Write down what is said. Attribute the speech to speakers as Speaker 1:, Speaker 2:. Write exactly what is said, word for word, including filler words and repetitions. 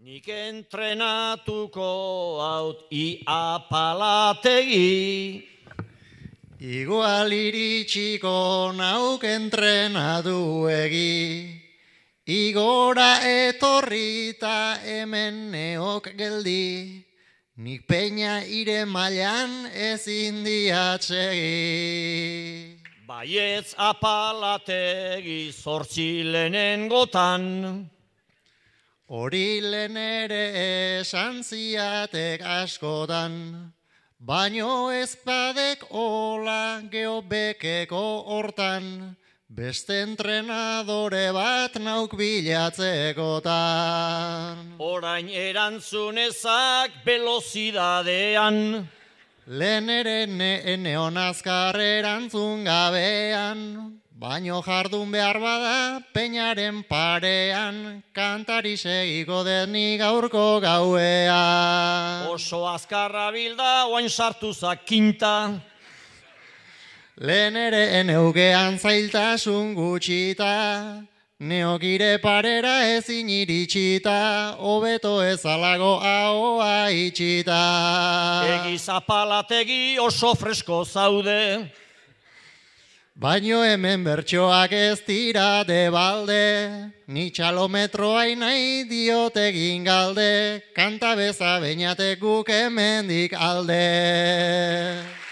Speaker 1: Nik entrenatuko haut ipalategi,
Speaker 2: igual iritsiko nauk entrenaduegi, igora etorrita hemen neok geldi, nik peña ire mailan ezin diatsegi.
Speaker 1: baietz apalategi zortzi lehenengotan,
Speaker 2: Hori lehen ere esan ziatek askotan, baino ezpadek ola geobekeko hortan, beste entrenadore bat nauk bilatzekotan.
Speaker 1: orain erantzunezak velozidadean,
Speaker 2: Lehen ere neon azkar erantzun gabean, baino jardun behar bada peñaren parean, kantari segiko deni gaurko gauean.
Speaker 1: oso azkarra bilda oain sartuzak kinta,
Speaker 2: Lehen ere eneugean zailtasun gutxita, neokire parera ezin iritsita, hobeto ezalago ahoa itxita.
Speaker 1: egiz apalategi oso fresko zaude,
Speaker 2: Baino hemen bertsoak ez dira debalde, ni txalometroa nahi diot egin galde, kanta beza beinatek guk hemendik alde.